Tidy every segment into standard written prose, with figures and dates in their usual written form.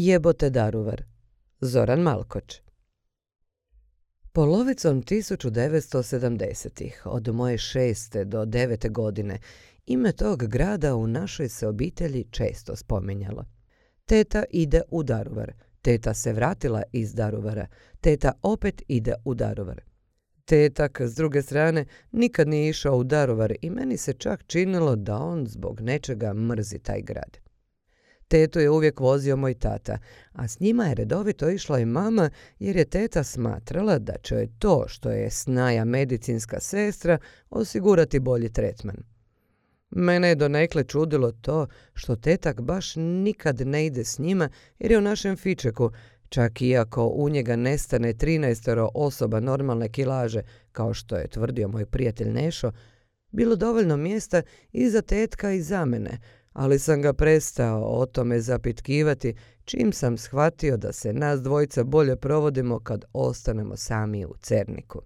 Jebote Daruvar, Zoran Malkoč. Polovicom 1970-ih, od moje 6. do 9. godine, ime tog grada u našoj se obitelji često spominjalo. Teta ide u Daruvar, teta se vratila iz Daruvara, teta opet ide u Daruvar. Tetak, s druge strane, nikad nije išao u Daruvar i meni se čak činilo da on zbog nečega mrzi taj grad. Tetu je uvijek vozio moj tata, a s njima je redovito išla i mama jer je teta smatrala da će joj to što je snaja medicinska sestra osigurati bolji tretman. Mene je donekle čudilo to što tetak baš nikad ne ide s njima jer je u našem fičeku, čak iako u njega nestane 13 osoba normalne kilaže, kao što je tvrdio moj prijatelj Nešo, bilo dovoljno mjesta i za tetka i za mene, ali sam ga prestao o tome zapitkivati čim sam shvatio da se nas dvojica bolje provodimo kad ostanemo sami u Cerniku.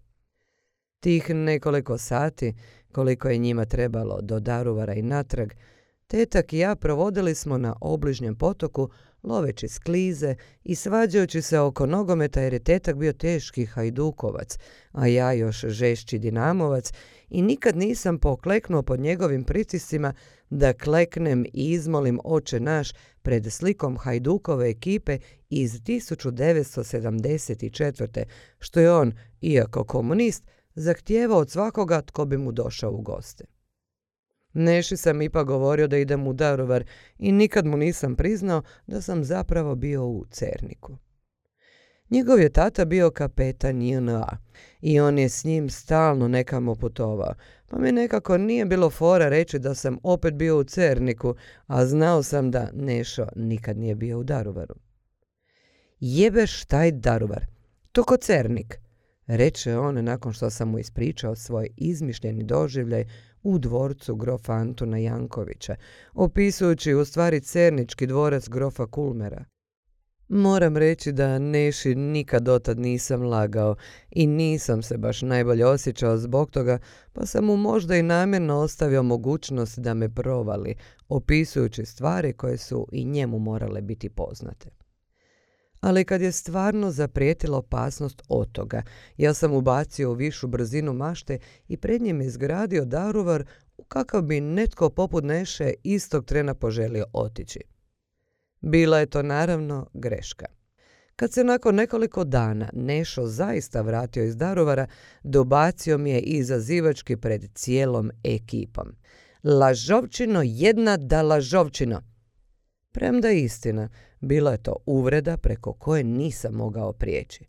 Tih nekoliko sati, koliko je njima trebalo do Daruvara i natrag, tetak i ja provodili smo na obližnjem potoku, loveći sklize i svađajući se oko nogometa jer je tetak bio teški hajdukovac, a ja još žešći dinamovac i nikad nisam pokleknuo pod njegovim pritiscima da kleknem i izmolim Oče naš pred slikom Hajdukove ekipe iz 1974. što je on, iako komunist, zahtijevao od svakoga tko bi mu došao u goste. Neši sam ipak govorio da idem u Daruvar i nikad mu nisam priznao da sam zapravo bio u Cerniku. Njegov je tata bio kapetan JNA i on je s njim stalno nekamo putovao, pa mi nekako nije bilo fora reći da sam opet bio u Cerniku, a znao sam da Nešo nikad nije bio u Daruvaru. Jebeš taj Daruvar, to ko Cernik, reče on nakon što sam mu ispričao svoj izmišljeni doživljaj u dvorcu grofa Antuna Jankovića, opisujući u stvari cernički dvorac grofa Kulmera. Moram reći da Neši nikad dotad nisam lagao i nisam se baš najbolje osjećao zbog toga, pa sam mu možda i namjerno ostavio mogućnost da me provali, opisujući stvari koje su i njemu morale biti poznate. Ali kad je stvarno zaprijetila opasnost od toga, ja sam ubacio u višu brzinu mašte i pred njim izgradio Daruvar u kakav bi netko poput Neše istog trena poželio otići. Bila je to naravno greška. Kad se nakon nekoliko dana Nešo zaista vratio iz Daruvara, dobacio mi je izazivački pred cijelom ekipom. Lažovčino, jedna da lažovčino! Premda istina, bila je to uvreda preko koje nisam mogao prijeći.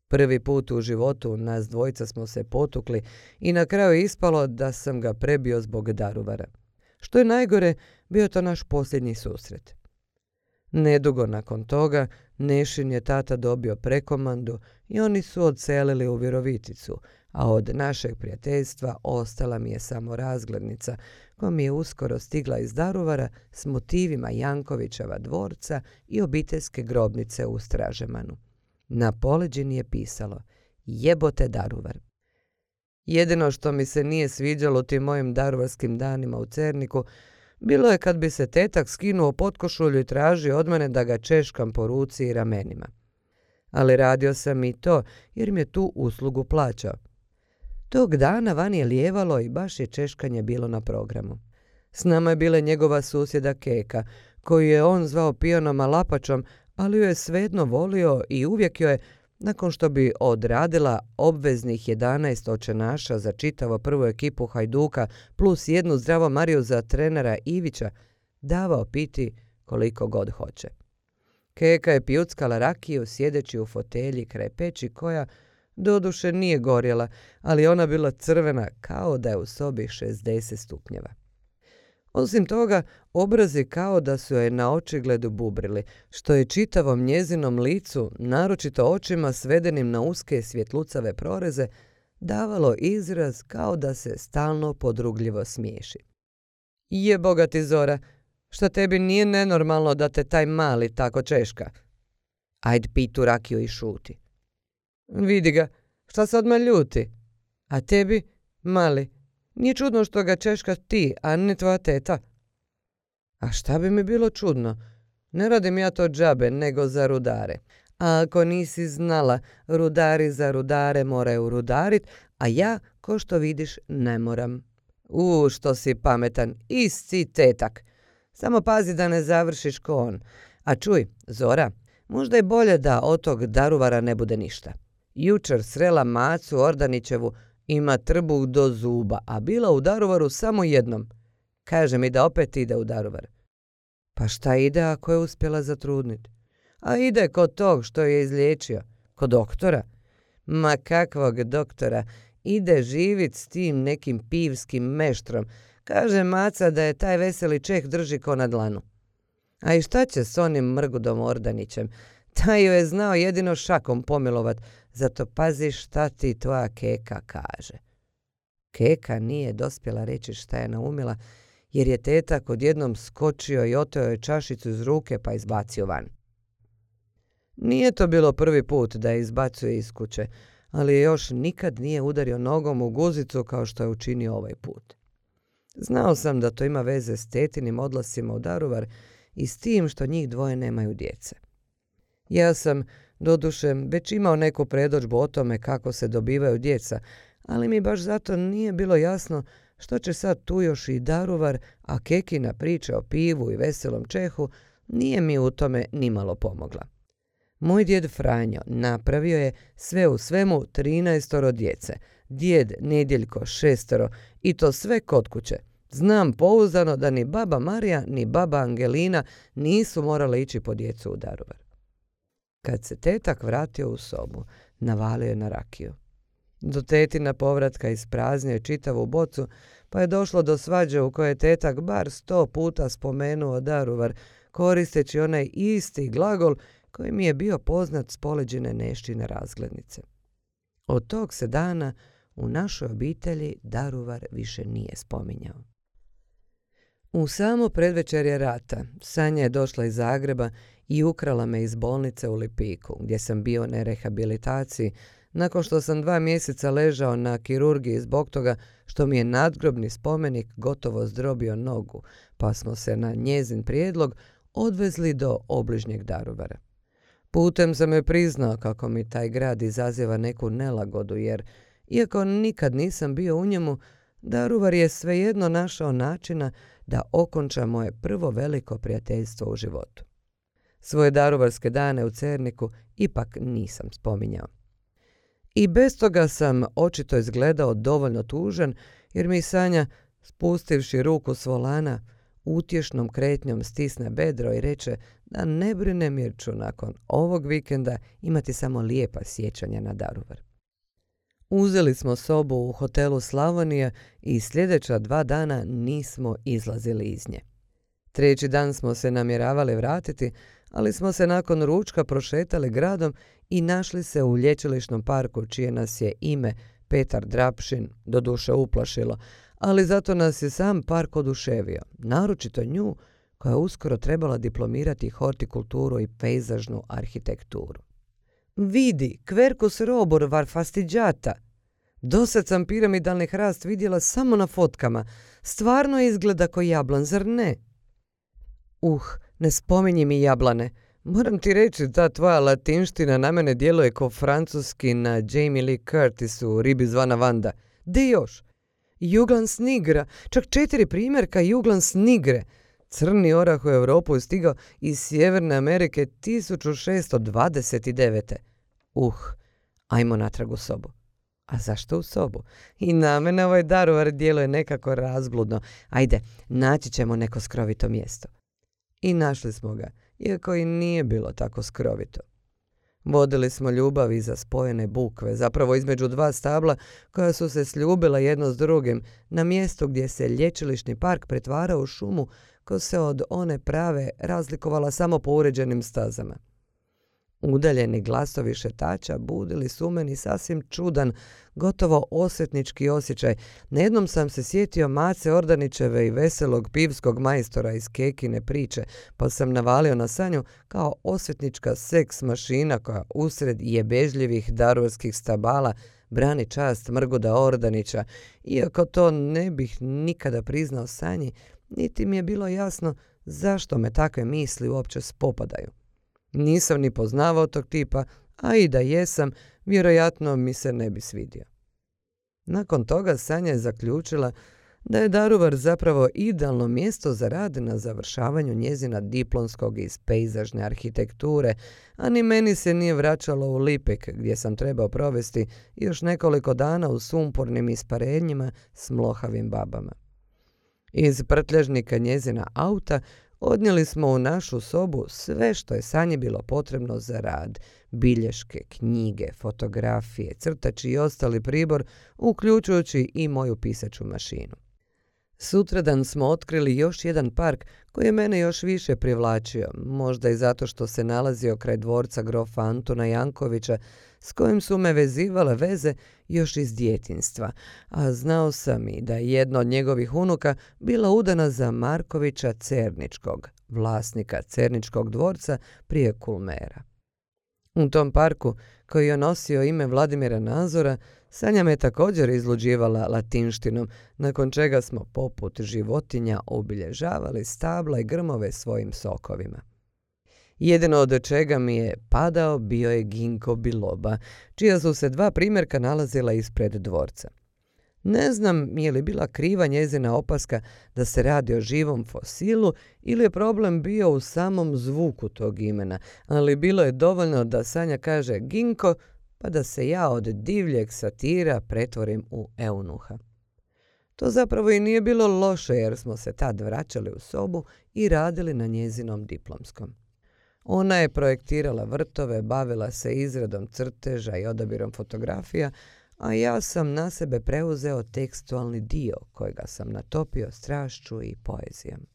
Prvi put u životu nas dvojica smo se potukli i na kraju je ispalo da sam ga prebio zbog Daruvara. Što je najgore, bio to naš posljednji susret. Nedugo nakon toga, Nešin je tata dobio prekomandu i oni su odselili u Viroviticu, a od našeg prijateljstva ostala mi je samo razglednica koja mi je uskoro stigla iz Daruvara s motivima Jankovićeva dvorca i obiteljske grobnice u Stražemanu. Na poleđini je pisalo Jebote Daruvar. Jedino što mi se nije sviđalo tim mojim daruvarskim danima u Cerniku bilo je kad bi se tetak skinuo potkošulju i tražio od mene da ga češkam po ruci i ramenima. Ali radio sam i to jer mi je tu uslugu plaćao. Tog dana van je lijevalo i baš je češkanje bilo na programu. S nama je bila njegova susjeda Keka, koju je on zvao pijanom Alapačom, ali ju je svejedno volio i uvijek joj je, nakon što bi odradila obveznih 11 očenaša za čitavo prvu ekipu Hajduka plus jednu zdravo Mariju za trenera Ivića, davao piti koliko god hoće. Keka je pijuckala rakiju sjedeći u fotelji kraj peći koja doduše nije gorjela, ali ona bila crvena kao da je u sobi 60 stupnjeva. Osim toga, obrazi kao da su joj na očigledu bubrili, što je čitavom njezinom licu, naročito očima svedenim na uske svjetlucave proreze, davalo izraz kao da se stalno podrugljivo smiješi. Jeboga ti Zora, šta tebi nije nenormalno da te taj mali tako češka? Ajd pi tu rakiju i šuti. Vidi ga, šta se odmah ljuti? A tebi, mali, nije čudno što ga češka ti, a ne tvoja teta. A šta bi mi bilo čudno? Ne radim ja to džabe, nego za rudare. A ako nisi znala, rudari za rudare moraju rudarit, a ja, ko što vidiš, ne moram. Što si pametan, isti tetak. Samo pazi da ne završiš ko on. A čuj, Zora, možda je bolje da od tog Daruvara ne bude ništa. Jučer srela Macu Ordanićevu, ima trbuh do zuba, a bila u Daruvaru samo jednom. Kaže mi da opet ide u Daruvar. Pa šta ide ako je uspjela zatrudniti? A ide kod tog što je izliječio, kod doktora. Ma kakvog doktora, ide živit s tim nekim pivskim meštrom. Kaže Maca da je taj veseli Čeh drži ko na dlanu. A i šta će s onim Mrgudom Ordanićem? Taj ju je znao jedino šakom pomilovat, zato pazi šta ti tvoja Keka kaže. Keka nije dospjela reći šta je naumila, jer je tetak odjednom skočio i oteo je čašicu iz ruke pa izbacio van. Nije to bilo prvi put da je izbacuje iz kuće, ali je još nikad nije udario nogom u guzicu kao što je učinio ovaj put. Znao sam da to ima veze s tetinim odlascima u Daruvar i s tim što njih dvoje nemaju djece. Ja sam, doduše, već imao neku predodžbu o tome kako se dobivaju djeca, ali mi baš zato nije bilo jasno što će sad tu još i Daruvar, a Kekina priča o pivu i veselom Čehu nije mi u tome nimalo pomogla. Moj djed Franjo napravio je sve u svemu 13 djece, djed Nedjeljko 6 i to sve kod kuće. Znam pouzdano da ni baba Marija ni baba Angelina nisu morale ići po djecu u Daruvar. Kad se tetak vratio u sobu, navalio je na rakiju. Do tetina povratka ispraznio je čitavu bocu, pa je došlo do svađe u kojoj je tetak bar 100 puta spomenuo Daruvar, koristeći onaj isti glagol koji mi je bio poznat s poleđine Neščine razglednice. Od tog se dana u našoj obitelji Daruvar više nije spominjao. U samo predvečerje rata Sanja je došla iz Zagreba i ukrala me iz bolnice u Lipiku, gdje sam bio na rehabilitaciji, nakon što sam 2 mjeseca ležao na kirurgiji zbog toga što mi je nadgrobni spomenik gotovo zdrobio nogu, pa smo se na njezin prijedlog odvezli do obližnjeg Daruvara. Putem sam joj priznao kako mi taj grad izaziva neku nelagodu, jer, iako nikad nisam bio u njemu, Daruvar je svejedno našao načina da okonča moje prvo veliko prijateljstvo u životu. Svoje daruvarske dane u Cerniku ipak nisam spominjao. I bez toga sam očito izgledao dovoljno tužan, jer mi Sanja, spustivši ruku s volana, utješnom kretnjom stisne bedro i reče da ne brine jer ću nakon ovog vikenda imati samo lijepa sjećanja na Daruvar. Uzeli smo sobu u hotelu Slavonija i sljedeća 2 dana nismo izlazili iz nje. 3. dan smo se namjeravali vratiti, ali smo se nakon ručka prošetali gradom i našli se u lječilišnom parku čije nas je ime Petar Drapšin doduše uplašilo, ali zato nas je sam park oduševio, naročito nju koja je uskoro trebala diplomirati hortikulturu i pejzažnu arhitekturu. Vidi, Quercus robur var fastigiata. Dosad sam piramidalni hrast vidjela samo na fotkama. Stvarno izgleda ko jablan, zar ne? Ne spominji mi jablane. Moram ti reći, ta tvoja latinština na mene djeluje ko francuski na Jamie Lee Curtis u Ribi zvana Vanda. De još? Juglans nigre, čak 4 primjerka Juglans nigre. Crni orah u Europu je stigao iz Sjeverne Amerike 1629. Ajmo natrag u sobu. A zašto u sobu? I na mene ovaj Daruvar djeluje nekako razbludno. Ajde, naći ćemo neko skrovito mjesto. I našli smo ga, iako i nije bilo tako skrovito. Vodili smo ljubav iza spojene bukve, zapravo između 2 stabla koja su se sljubila jedno s drugim, na mjestu gdje se lječilišni park pretvarao u šumu koja se od one prave razlikovala samo po uređenim stazama. Udaljeni glasovi šetača budili su meni sasvim čudan, gotovo osvetnički osjećaj. Nejednom sam se sjetio Mace Ordanićeve i veselog pivskog majstora iz Kekine priče, pa sam navalio na Sanju kao osvetnička seks mašina koja usred jebežljivih daruvarskih stabala brani čast Mrguda Ordanića, iako to ne bih nikada priznao Sanji, niti mi je bilo jasno zašto me takve misli uopće spopadaju. Nisam ni poznavao tog tipa, a i da jesam, vjerojatno mi se ne bi svidio. Nakon toga Sanja je zaključila da je Daruvar zapravo idealno mjesto za rad na završavanju njezina diplomskog iz pejzažne arhitekture, a ni meni se nije vraćalo u Lipik gdje sam trebao provesti još nekoliko dana u sumpornim isparenjima s mlohavim babama. Iz prtljažnika njezina auta odnijeli smo u našu sobu sve što je Sanji bilo potrebno za rad, bilješke, knjige, fotografije, crtači i ostali pribor, uključujući i moju pisaću mašinu. Sutradan smo otkrili još jedan park koji je mene još više privlačio, možda i zato što se nalazio kraj dvorca grofa Antuna Jankovića, s kojim su me vezivale veze još iz djetinjstva, a znao sam i da je jedna od njegovih unuka bila udana za Markovića Cerničkog, vlasnika Cerničkog dvorca prije Kulmera. U tom parku, koji je nosio ime Vladimira Nazora, Sanja me također izluđivala latinštinom, nakon čega smo poput životinja obilježavali stabla i grmove svojim sokovima. Jedino od čega mi je padao bio je Ginko biloba, čija su se 2 primjerka nalazila ispred dvorca. Ne znam je li bila kriva njezina opaska da se radi o živom fosilu ili je problem bio u samom zvuku tog imena, ali bilo je dovoljno da Sanja kaže Ginko, pa da se ja od divljeg satira pretvorim u eunuha. To zapravo i nije bilo loše jer smo se tad vraćali u sobu i radili na njezinom diplomskom. Ona je projektirala vrtove, bavila se izradom crteža i odabirom fotografija, a ja sam na sebe preuzeo tekstualni dio kojega sam natopio strašću i poezijom.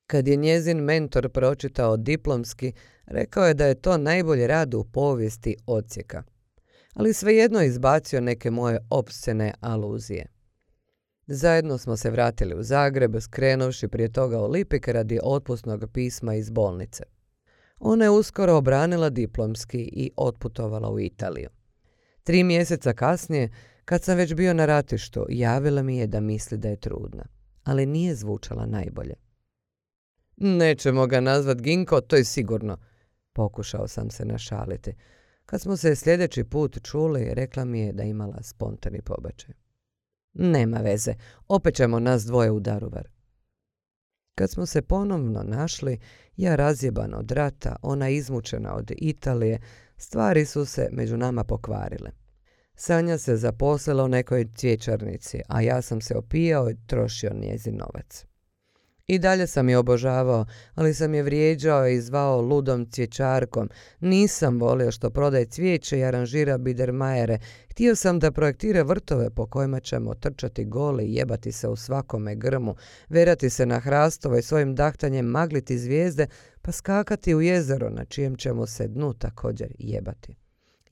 Kad je njezin mentor pročitao diplomski, rekao je da je to najbolji rad u povijesti odsjeka, ali svejedno je izbacio neke moje opscene aluzije. Zajedno smo se vratili u Zagreb, skrenuvši prije toga u Lipik radi otpusnog pisma iz bolnice. Ona je uskoro obranila diplomski i otputovala u Italiju. 3 mjeseca kasnije, kad sam već bio na ratištu, javila mi je da misli da je trudna, ali nije zvučala najbolje. Nećemo ga nazvat Ginko, to je sigurno, pokušao sam se našaliti. Kad smo se sljedeći put čuli, rekla mi je da imala spontani pobačaj. Nema veze, opet ćemo nas dvoje u Daruvar. Kad smo se ponovno našli, ja razjeban od rata, ona izmučena od Italije, stvari su se među nama pokvarile. Sanja se zaposlila u nekoj cvjećarnici, a ja sam se opijao i trošio njezin novac. I dalje sam je obožavao, ali sam je vrijeđao i zvao ludom cvjećarkom. Nisam volio što prodaje cvijeće i aranžira bidermajere. Htio sam da projektira vrtove po kojima ćemo trčati goli i jebati se u svakome grmu, verati se na hrastove i svojim dahtanjem magliti zvijezde, pa skakati u jezero na čijem ćemo se dnu također jebati.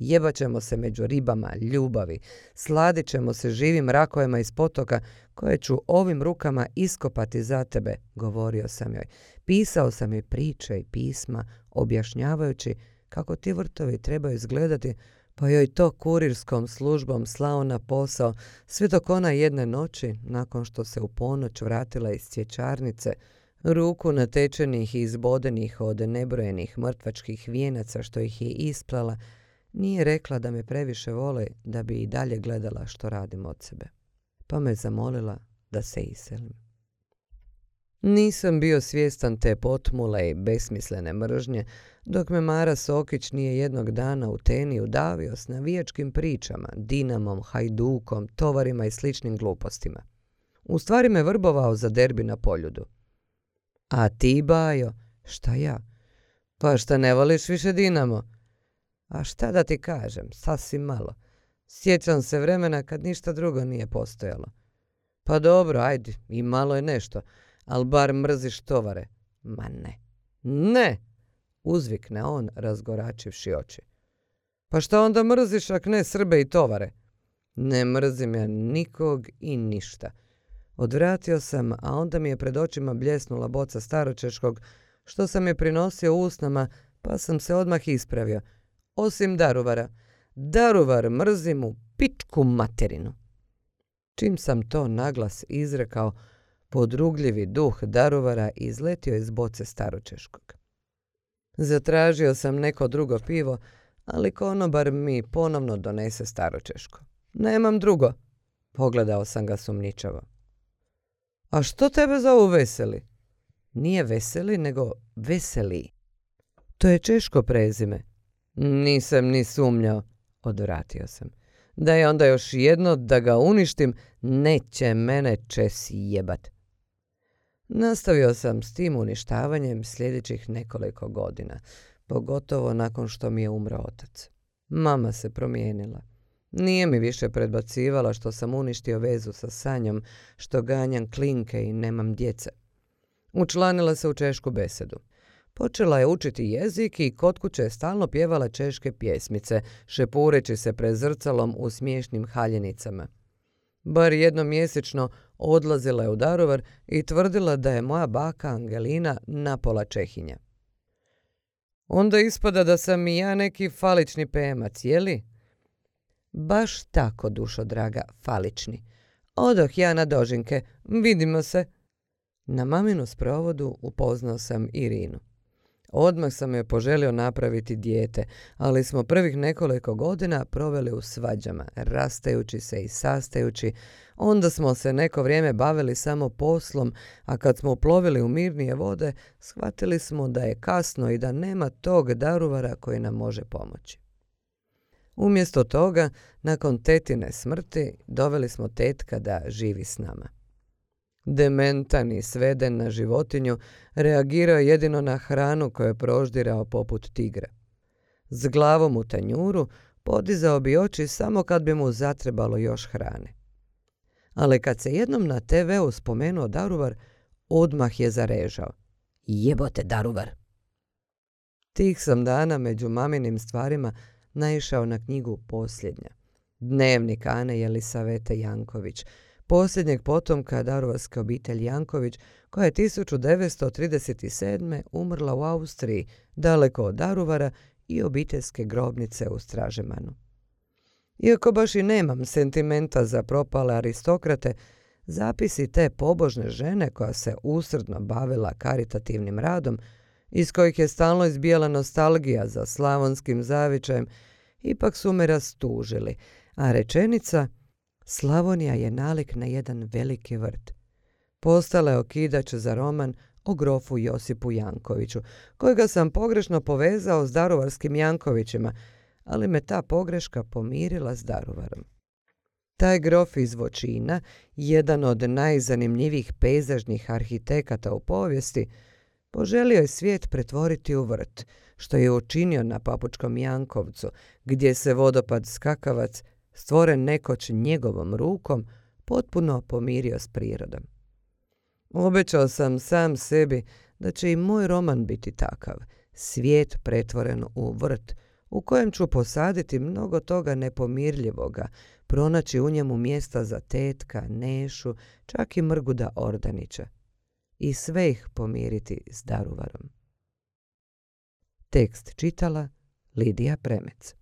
Jebat ćemo se među ribama ljubavi, sladit ćemo se živim rakovima iz potoka koje ću ovim rukama iskopati za tebe, govorio sam joj. Pisao sam joj priče i pisma, objašnjavajući kako ti vrtovi trebaju izgledati, pa joj to kurirskom službom slao na posao, sve dok ona jedne noći, nakon što se u ponoć vratila iz cvjećarnice, ruku natečenih i izbodenih od nebrojenih mrtvačkih vijenaca što ih je isplala, nije rekla da me previše voli da bi i dalje gledala što radim od sebe, pa me zamolila da se iselim. Nisam bio svjestan te potmule i besmislene mržnje, dok me Mara Sokić nije jednog dana u Teni udavio s navijačkim pričama, Dinamom, Hajdukom, tovarima i sličnim glupostima. U stvari me vrbovao za derbi na Poljudu. A ti, Bajo, šta ja? Pa šta ne voliš više Dinamo? A šta da ti kažem, sasvim malo. Sjećam se vremena kad ništa drugo nije postojalo. Pa dobro, ajde, i malo je nešto, ali bar mrziš tovare. Ma ne. Ne! Uzvikne on, razgoračivši oči. Pa šta onda mrziš ak ne Srbe i tovare? Ne mrzim ja nikog i ništa. Odvratio sam, a onda mi je pred očima bljesnula boca staročeškog, što sam je prinosio usnama, pa sam se odmah ispravio. Osim Daruvara. Daruvar mrzim u pičku materinu. Čim sam to naglas izrekao, Podrugljivi duh Daruvara izletio iz boce staročeškog. Zatražio sam neko drugo pivo, ali konobar mi ponovno donese staročeško. Nemam drugo. Pogledao sam ga sumnjičavo. A što tebe zovu Veseli? Nije Veseli, nego Veseli. To je češko prezime. Nisam ni sumnjao, odvratio sam. Da je onda još jedno da ga uništim, neće mene Česi jebat. Nastavio sam s tim uništavanjem sljedećih nekoliko godina, pogotovo nakon što mi je umro otac. Mama se promijenila. Nije mi više predbacivala što sam uništio vezu sa Sanjom, što ganjam klinke i nemam djece. Učlanila se u češku besedu. Počela je učiti jezik i kod kuće je stalno pjevala češke pjesmice, šepureći se pred zrcalom u smiješnim haljenicama. Bar jednom mjesečno odlazila je u Daruvar i tvrdila da je moja baka Angelina napola Čehinja. Onda ispada da sam i ja neki falični pemac, jeli? Baš tako, dušo draga, falični. Odoh ja na dožinke, vidimo se. Na maminu sprovodu upoznao sam Irinu. Odmah sam joj poželio napraviti dijete, ali smo prvih nekoliko godina proveli u svađama, rastajući se i sastajući. Onda smo se neko vrijeme bavili samo poslom, a kad smo uplovili u mirnije vode, shvatili smo da je kasno i da nema tog Daruvara koji nam može pomoći. Umjesto toga, nakon tetine smrti, doveli smo tetka da živi s nama. Dementan i sveden na životinju, reagirao je jedino na hranu koju je proždirao poput tigra. S glavom u tanjuru podizao bi oči samo kad bi mu zatrebalo još hrane. Ali kad se jednom na TV-u spomenuo Daruvar, odmah je zarežao. Jebote Daruvar! Tih sam dana među maminim stvarima naišao na knjigu Posljednja. Dnevnik Ane Jelisavete Janković, posljednjeg potomka daruvarske obitelji Janković, koja je 1937. umrla u Austriji, daleko od Daruvara i obiteljske grobnice u Stražemanu. Iako baš i nemam sentimenta za propale aristokrate, zapisi te pobožne žene koja se usrdno bavila karitativnim radom, iz kojih je stalno izbijala nostalgija za slavonskim zavičajem, ipak su me rastužili, a rečenica Slavonija je nalik na jedan veliki vrt postala je okidač za roman o grofu Josipu Jankoviću, kojega sam pogrešno povezao s daruvarskim Jankovićima, ali me ta pogreška pomirila s Daruvarom. Taj grof iz Voćina, jedan od najzanimljivijih pejzažnih arhitekata u povijesti, poželio je svijet pretvoriti u vrt, što je učinio na Papučkom Jankovcu, gdje se vodopad Skakavac, stvoren nekoć njegovom rukom, potpuno pomirio s prirodom. Obećao sam sam sebi da će i moj roman biti takav, svijet pretvoren u vrt, u kojem ću posaditi mnogo toga nepomirljivoga, pronaći u njemu mjesta za tetka, Nešu, čak i Mrguda Ordanića. I sve ih pomiriti s Daruvarom. Tekst čitala Lidija Premec.